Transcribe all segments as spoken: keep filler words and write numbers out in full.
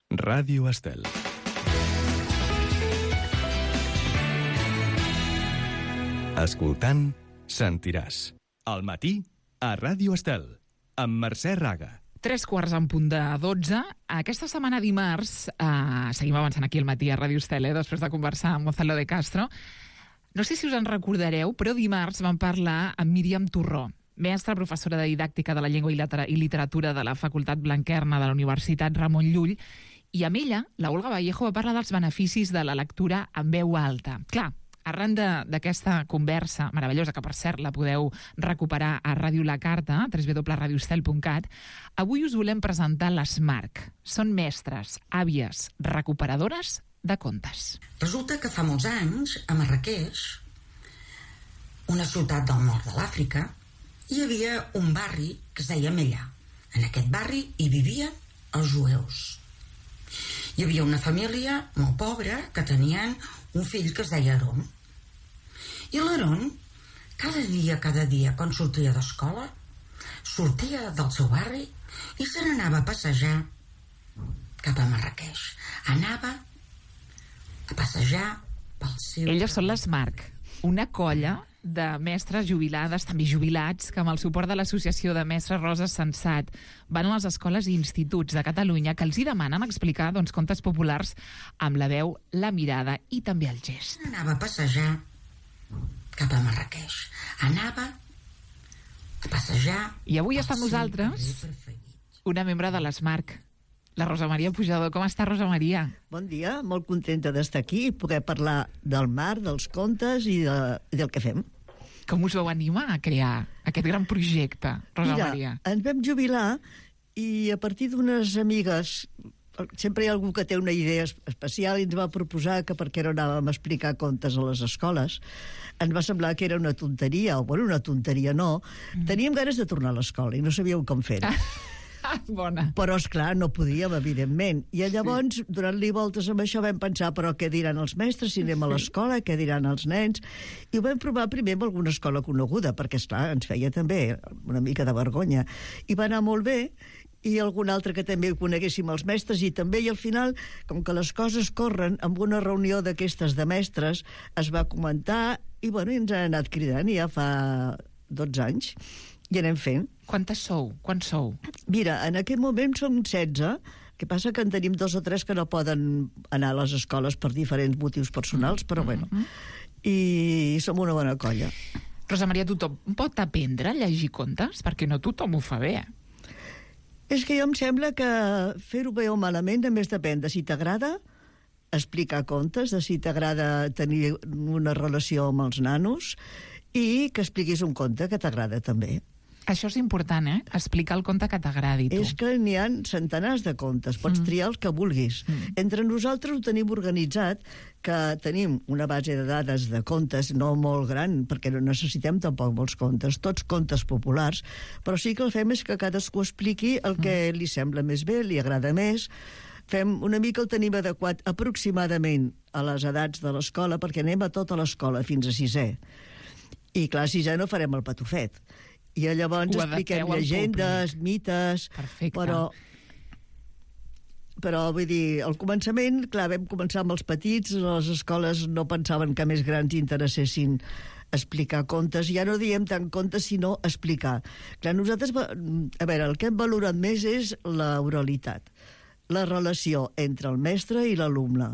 Ràdio Estel. Escoltant, sentiràs. Al matí, a Ràdio Estel, amb Mercè Raga. Tres quarts en punt de dotze. Aquesta setmana dimarts, eh, seguim avançant aquí al matí a Ràdio Estel, eh, després de conversar amb Gonzalo de Castro. No sé si us en recordareu, però dimarts vam parlar amb Míriam Torró, mestra, professora de didàctica de la llengua i literatura de la Facultat Blanquerna de la Universitat Ramon Llull, i amb ella, la Olga Vallejo, va parlar dels beneficis de la lectura en veu alta. Clar, arran d'aquesta conversa meravellosa, que per cert la podeu recuperar a Ràdio La Carta, w w w punt radio estel punt cat, avui us volem presentar les Marc. Són mestres, àvies, recuperadores de contes. Resulta que fa molts anys, a Marràqueix, una ciutat del nord de l'Àfrica, hi havia un barri que es deia Mella. En aquest barri hi vivien els jueus. Hi havia una família molt pobra que tenien un fill que es deia Aron. I l'Aron, cada dia, cada dia, quan sortia d'escola, sortia del seu barri i se n'anava a passejar cap a Marràqueix. Anava a passejar pel seu... Elles són les Marc, una colla de mestres jubilades, també jubilats, que amb el suport de l'Associació de Mestres Rosa Sensat van a les escoles i instituts de Catalunya que els hi demanen explicar doncs, contes populars amb la veu, la mirada i també el gest. Anava a passejar cap a Marràqueix. Anava a passejar... I avui està amb nosaltres una membre de les Marc, la Rosa Maria Pujador. Com està, Rosa Maria? Bon dia, molt contenta d'estar aquí i poder parlar del mar, dels contes i, de, i del que fem. Com us vau animar a crear aquest gran projecte, Rosa Mira, Maria? Ens vam jubilar i a partir d'unes amigues, sempre hi ha algú que té una idea especial, i ens va proposar que per què no anàvem a explicar contes a les escoles. Ens va semblar que era una tonteria, o bueno, una tonteria no. Mm. Teníem ganes de tornar a l'escola i no sabíem com fer-ho. Bona. Però, esclar, no podíem, evidentment. I llavors, sí. donant-li voltes amb això, vam pensar, però què diran els mestres si anem a l'escola, què diran els nens? I ho vam provar primer amb alguna escola coneguda, perquè, esclar, ens feia també una mica de vergonya. I va anar molt bé, i algun altre que també coneguéssim els mestres, i també, i al final, com que les coses corren, amb una reunió d'aquestes de mestres, es va comentar, i, bueno, i ens ha anat cridant, i ja fa dotze anys, i anem fent. Quantes sou? Quants sou? Mira, en aquest moment som setze, que passa que en tenim dos o tres que no poden anar a les escoles per diferents motius personals, però bueno, i som una bona colla. Rosa Maria, tothom pot aprendre a llegir contes? Perquè no tothom ho fa bé. És que jo em sembla que fer-ho bé o malament només depèn de si t'agrada explicar contes, de si t'agrada tenir una relació amb els nanos i que expliquis un conte que t'agrada també. Això és important, eh? Explicar el conte que t'agradi, tu. És que n'hi ha centenars de contes, pots mm. triar els que vulguis. Mm. Entre nosaltres ho tenim organitzat, que tenim una base de dades de contes no molt gran, perquè no necessitem tampoc molts contes, tots contes populars, però sí que el fem és que cadascú expliqui el que mm. li sembla més bé, li agrada més. Fem una mica, el tenim adequat aproximadament a les edats de l'escola, perquè anem a tota l'escola, fins a sisè. I clar, a sisè no farem el patufet. I llavors expliquem llegendes, mites... Perfecte. Però, però vull dir, al començament, clar, vam començar amb els petits, les escoles no pensaven que més grans interessessin explicar contes, ja no diem tant contes sinó explicar. Clar, nosaltres, a veure, el que hem valorat més és la oralitat, la relació entre el mestre i l'alumne.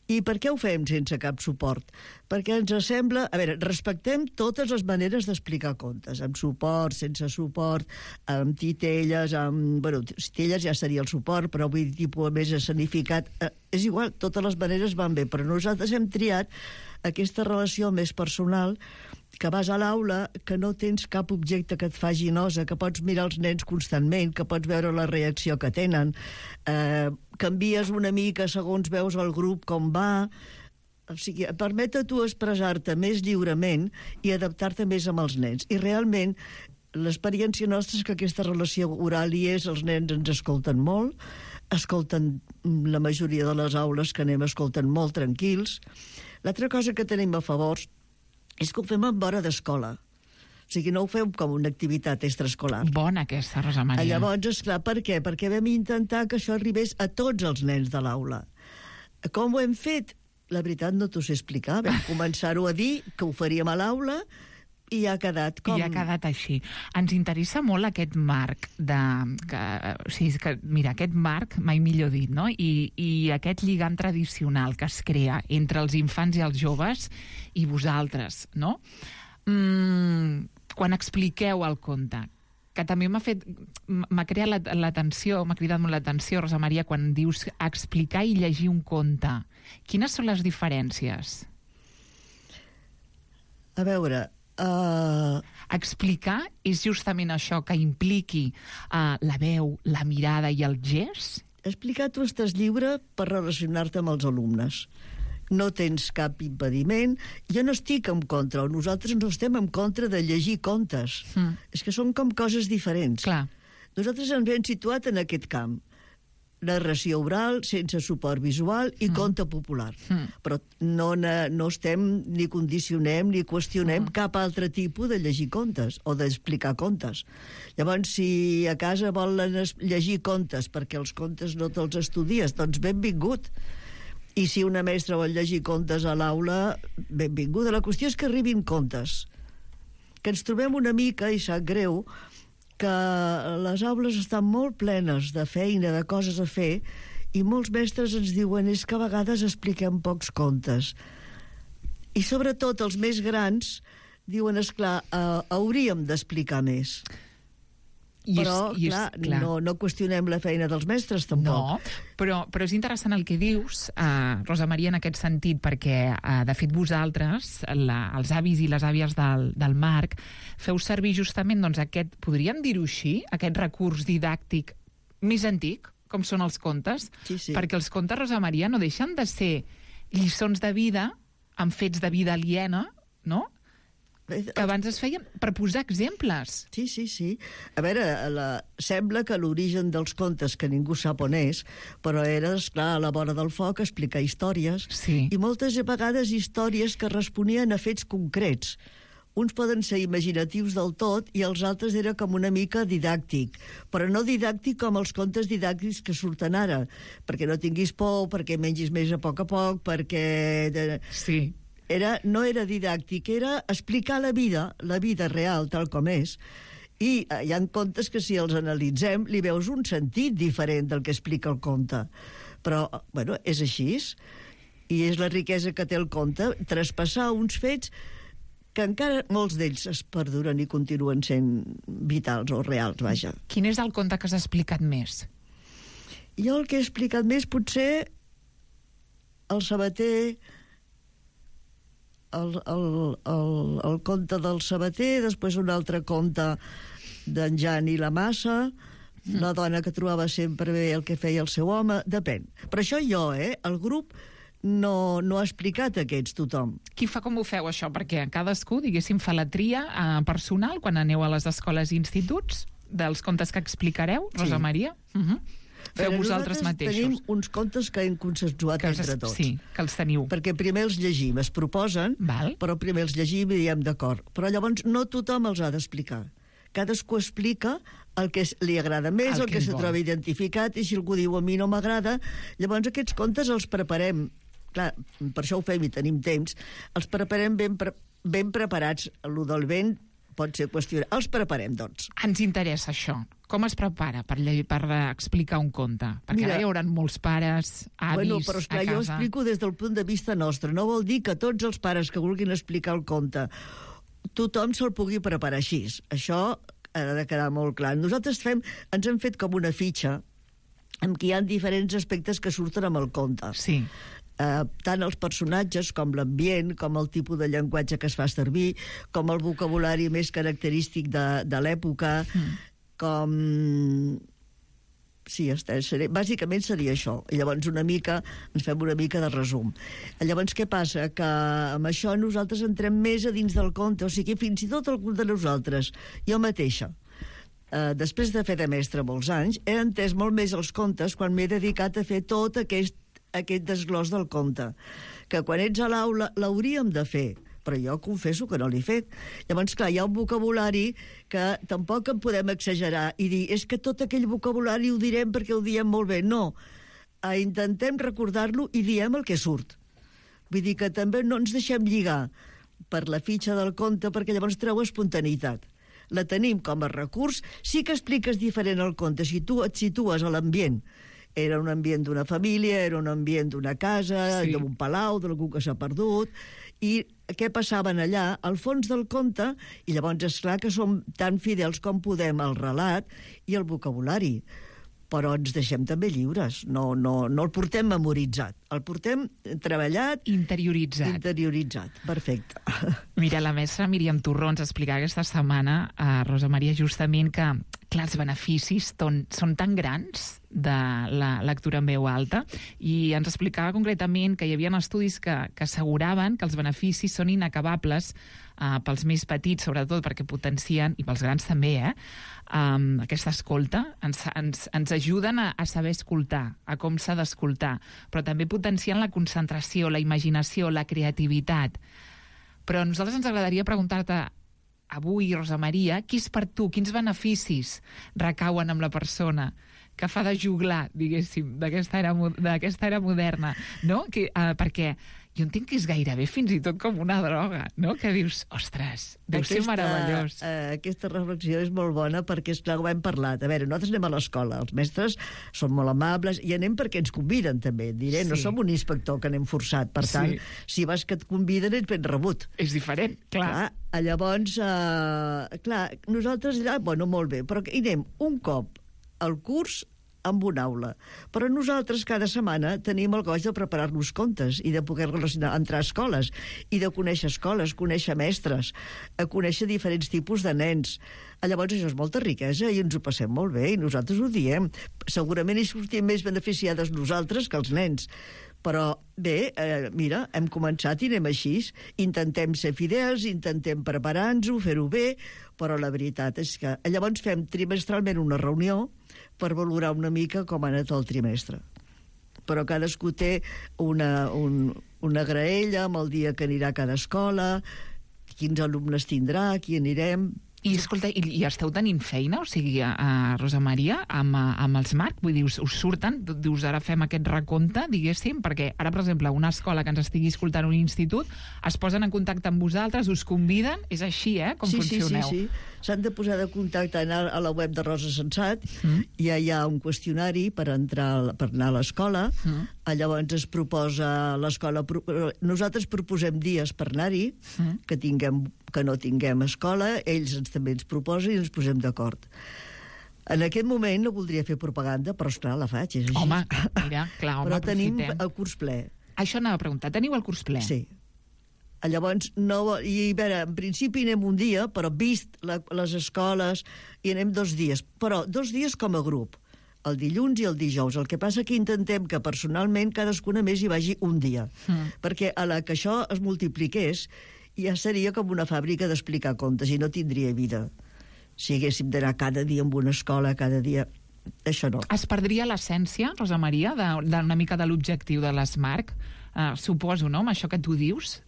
I per què ho fem sense cap suport? Perquè ens sembla... A veure, respectem totes les maneres d'explicar contes, amb suport, sense suport, amb titelles, amb... Bueno, titelles ja seria el suport, però vull dir, tipus més escenificat. Eh, és igual, totes les maneres van bé, però nosaltres hem triat aquesta relació més personal, que vas a l'aula, que no tens cap objecte que et faci nosa, que pots mirar els nens constantment, que pots veure la reacció que tenen, eh, canvies una mica segons veus el grup com va, o sigui, permet a tu expressar-te més lliurement i adaptar-te més amb els nens. I realment l'experiència nostra és que aquesta relació oral hi és, els nens ens escolten molt, escolten la majoria de les aules que anem escolten molt tranquils. L'altra cosa que tenim a favor és que ho fem en hora d'escola. O sigui, no ho fem com una activitat extraescolar. Bona aquesta, Rosa Maria. Llavors, esclar, per què? Perquè vam intentar que això arribés a tots els nens de l'aula. Com ho hem fet? La veritat no t'ho sé explicar. Vam començar-ho a dir, que ho faríem a l'aula, i ha quedat com... I ha quedat així. Ens interessa molt aquest marc de... Que, o sigui, que, mira, aquest marc, mai millor dit, no? I, i aquest lligam tradicional que es crea entre els infants i els joves i vosaltres, no? Mm, quan expliqueu el conte, que també m'ha fet... m'ha creat l'atenció, m'ha cridat molt l'atenció, Rosa Maria, quan dius explicar i llegir un conte. Quines són les diferències? A veure... Uh... Explicar és justament això, que impliqui uh, la veu, la mirada i el gest? Explicar, tu estàs lliure per relacionar-te amb els alumnes. No tens cap impediment. Jo no estic en contra, o nosaltres no estem en contra de llegir contes. Mm. És que són com coses diferents. Clar. Nosaltres ens hem situat en aquest camp. Narració oral, sense suport visual i mm. conte popular. Mm. Però no, no estem ni condicionem ni qüestionem mm. cap altre tipus de llegir contes o d'explicar contes. Llavors, si a casa volen llegir contes perquè els contes no te'ls estudies, doncs benvingut. I si una mestra vol llegir contes a l'aula, benvinguda. La qüestió és que arribin contes. Que ens trobem una mica, i sap greu, que les aules estan molt plenes de feina, de coses a fer, i molts mestres ens diuen és que a vegades expliquem pocs contes. I sobretot els més grans diuen, esclar, uh, hauríem d'explicar més. I però, és, i és, clar, clar. No, no qüestionem la feina dels mestres, tampoc. No, però, però és interessant el que dius, uh, Rosa Maria, en aquest sentit, perquè, uh, de fet, vosaltres, la, els avis i les àvies del, del Marc, feu servir justament, doncs, aquest, podríem dir-ho així, aquest recurs didàctic més antic, com són els contes, sí, sí. perquè els contes, Rosa Maria, no deixen de ser lliçons de vida amb fets de vida aliena, no?, que abans es feien per posar exemples. Sí, sí, sí. A veure, la... sembla que l'origen dels contes, que ningú sap on és, però era, esclar, a la vora del foc explicar històries, sí. I moltes vegades històries que responien a fets concrets. Uns poden ser imaginatius del tot i els altres era com una mica didàctic, però no didàctic com els contes didàctics que surten ara, perquè no tinguis por, perquè mengis més a poc a poc, perquè... Sí. Era, no era didàctic, era explicar la vida, la vida real, tal com és. I hi ha contes que, si els analitzem, li veus un sentit diferent del que explica el conte. Però, bueno, és així. I és la riquesa que té el conte, traspassar uns fets que encara molts d'ells es perduren i continuen sent vitals o reals, vaja. Quin és el conte que has explicat més? Jo el que he explicat més, potser, el sabater... El, el, el, el conte del sabater, després un altre conte d'en Jan i la Massa, mm. la dona que trobava sempre bé el que feia el seu home, depèn. Però això jo, eh? El grup no, no ha explicat aquests tothom. Qui fa com ho feu, això? Perquè cadascú, diguéssim, fa la tria eh, personal quan aneu a les escoles i instituts dels contes que explicareu, Rosa sí. Maria? Uh -huh. Feu Però vosaltres mateixos. Tenim uns contes que hem consensuat que entre tots. Sí, que els teniu. Perquè primer els llegim, es proposen, Val. però primer els llegim i diem d'acord. Però llavors no tothom els ha d'explicar. Cadascú explica el que li agrada més, el, el que, que se troba identificat, i si algú diu a mi no m'agrada, llavors aquests contes els preparem. Clar, per això ho fem i tenim temps. Els preparem ben, pre ben preparats. El del vent pot ser qüestionat. Els preparem, doncs. Ens interessa això. Com es prepara per, per explicar un conte? Perquè Mira, ara hi haurà molts pares, avis, bueno, però esclar, a casa. Jo explico des del punt de vista nostre. No vol dir que tots els pares que vulguin explicar el conte tothom se'l pugui preparar així. Això ha de quedar molt clar. Nosaltres fem, ens hem fet com una fitxa en què hi ha diferents aspectes que surten amb el conte. Sí. Uh, tant els personatges com l'ambient, com el tipus de llenguatge que es fa servir, com el vocabulari més característic de, de l'època, mm. com... Sí, seré... bàsicament seria això. I llavors una mica, ens fem una mica de resum. Llavors què passa? Que amb això nosaltres entrem més a dins del conte, o sigui, fins i tot algun de nosaltres, jo mateixa, uh, després de fer de mestre molts anys, he entès molt més els contes quan m'he dedicat a fer tot aquest aquest desglòs del conte, que quan ets a l'aula l'hauríem de fer, però jo confesso que no l'he fet. Llavors, clar, hi ha un vocabulari que tampoc en podem exagerar i dir, és que tot aquell vocabulari ho direm perquè ho diem molt bé. No, eh, intentem recordar-lo i diem el que surt. Vull dir que també no ens deixem lligar per la fitxa del conte, perquè llavors treu espontaneïtat. La tenim com a recurs, sí que expliques diferent el conte. Si tu et situes a l'ambient, era un ambient d'una família, era un ambient d'una casa, sí. d'un palau, d'algú que s'ha perdut, i què passaven allà, al fons del conte, i llavors és clar que som tan fidels com podem al relat i al vocabulari, però ens deixem també lliures, no, no, no el portem memoritzat, el portem treballat... Interioritzat. Interioritzat, perfecte. Mira, la mestra Míriam Torró ens explicava aquesta setmana a Rosa Maria justament que, clar, els beneficis ton, són tan grans de la lectura en veu alta i ens explicava concretament que hi havia estudis que, que asseguraven que els beneficis són inacabables uh, pels més petits, sobretot perquè potencien, i pels grans també, eh, um, aquesta escolta, ens, ens, ens ajuden a, a saber escoltar, a com s'ha d'escoltar, però també potencien la concentració, la imaginació, la creativitat. Però a nosaltres ens agradaria preguntar-te avui, Rosa Maria, qui és per tu, quins beneficis recauen amb la persona que fa de juglar, diguéssim, d'aquesta era, d'aquesta era moderna, no? Que, uh, perquè jo entenc que és gairebé fins i tot com una droga, no? Que dius, ostres, deu aquesta, ser meravellós. Uh, aquesta reflexió és molt bona perquè, esclar, ho hem parlat. A veure, nosaltres anem a l'escola, els mestres són molt amables i anem perquè ens conviden, també. Diré, sí. No som un inspector que anem forçat, per tant, sí. Si vas que et conviden ets ben rebut. És diferent, clar. clar llavors, uh, clar, nosaltres allà, bueno, molt bé, però hi anem un cop al curs amb una aula. Però nosaltres cada setmana tenim el goig de preparar-nos contes i de poder relacionar, entrar a escoles i de conèixer escoles, conèixer mestres, a conèixer diferents tipus de nens. Llavors això és molta riquesa i ens ho passem molt bé i nosaltres ho diem. Segurament hi sortim més beneficiades nosaltres que els nens. Però bé, eh, mira, hem començat i anem així. Intentem ser fidels, intentem preparar-nos-ho, fer-ho bé, però la veritat és que llavors fem trimestralment una reunió per valorar una mica com ha anat el trimestre. Però cadascú té una, un, una graella amb el dia que anirà a cada escola, quins alumnes tindrà, qui anirem... I, escolta, i, i esteu tenint feina, o sigui, a, a Rosa Maria, amb, amb els Marc? Vull dir, us, us surten? Dius, ara fem aquest recompte, diguéssim, perquè ara, per exemple, una escola que ens estigui escoltant un institut, es posen en contacte amb vosaltres, us conviden, és així, eh, com sí, funcioneu? Sí, sí, sí. S'han de posar de contacte anar a la web de Rosa Sensat, mm. i hi ha un qüestionari per entrar per anar a l'escola, mm. llavors es proposa l'escola... Nosaltres proposem dies per anar-hi, mm. que tinguem que no tinguem escola, ells ens, també ens proposen i ens posem d'acord. En aquest moment no voldria fer propaganda, però esclar, la faig, és així. Home, mira, clar, home, però tenim aprofitem. el curs ple. Això anava a preguntar, teniu el curs ple? Sí. Llavors, no, i a veure, en principi anem un dia, però vist la, les escoles, i anem dos dies. Però dos dies com a grup, el dilluns i el dijous. El que passa que intentem que personalment cadascuna més hi vagi un dia. Mm. Perquè a la que això es multipliqués, ja seria com una fàbrica d'explicar contes i no tindria vida. Si haguéssim d'anar cada dia en una escola, cada dia... Això no. Es perdria l'essència, Rosa Maria, d'una mica de l'objectiu de l'Smarc? Uh, suposo, no?, amb això que tu dius?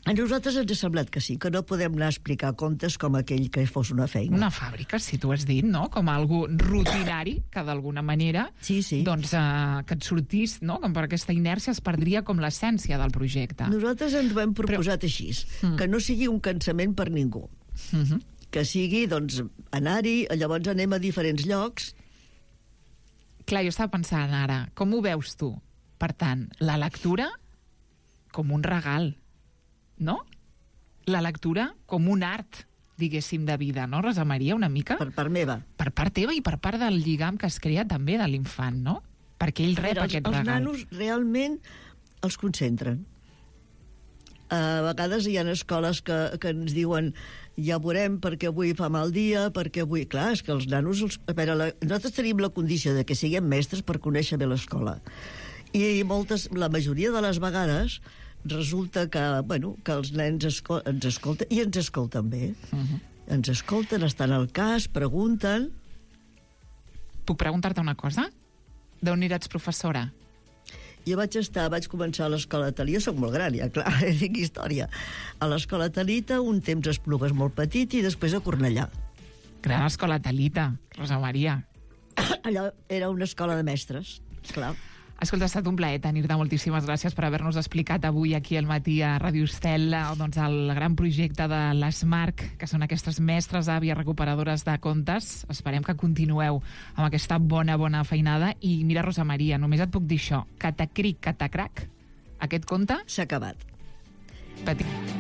A nosaltres ens ha semblat que sí, que no podem anar a explicar contes com aquell que fos una feina. Una fàbrica, si tu has dit, no?, com algo rutinari, que d'alguna manera, sí, sí. doncs, uh, que et sortís, no?, com per aquesta inèrcia es perdria com l'essència del projecte. Nosaltres ens ho hem proposat Però... així, mm. que no sigui un cansament per ningú. Mm-hmm. Que sigui, doncs, anar-hi, llavors anem a diferents llocs. Clar, jo estava pensant ara, com ho veus tu? Per tant, la lectura com un regal, no? La lectura com un art, diguéssim, de vida, no, Rosa Maria, una mica? Per part meva. Per part teva i per part del lligam que es crea també de l'infant, no? Perquè ell rep Però aquest els, regal. Els nanos realment els concentren. A vegades hi ha escoles que, que ens diuen ja veurem perquè avui fa mal dia, perquè avui... Clar, és que els nanos... Els... A veure, la... nosaltres tenim la condició de que siguem mestres per conèixer bé l'escola. I moltes, la majoria de les vegades resulta que, bueno, que els nens escol ens escolten, i ens escolten bé. Uh-huh. Ens escolten, estan al cas, pregunten... Puc preguntar-te una cosa? D'on ets professora? Jo vaig estar, vaig començar a l'escola Talita, jo soc molt gran, ja, clar, dic història. A l'escola Talita, un temps a Esplugues molt petit i després a Cornellà. Gran escola Talita, Rosa Maria. Allò era una escola de mestres, clar. Escolta, ha estat un plaer tenir-te. Moltíssimes gràcies per haver-nos explicat avui aquí al matí a Ràdio Estel doncs, el gran projecte de l'Smarc, que són aquestes mestres àvies recuperadores de contes. Esperem que continueu amb aquesta bona, bona feinada. I mira, Rosa Maria, només et puc dir això. Catacric, catacrac, aquest conte... S'ha acabat. Petit.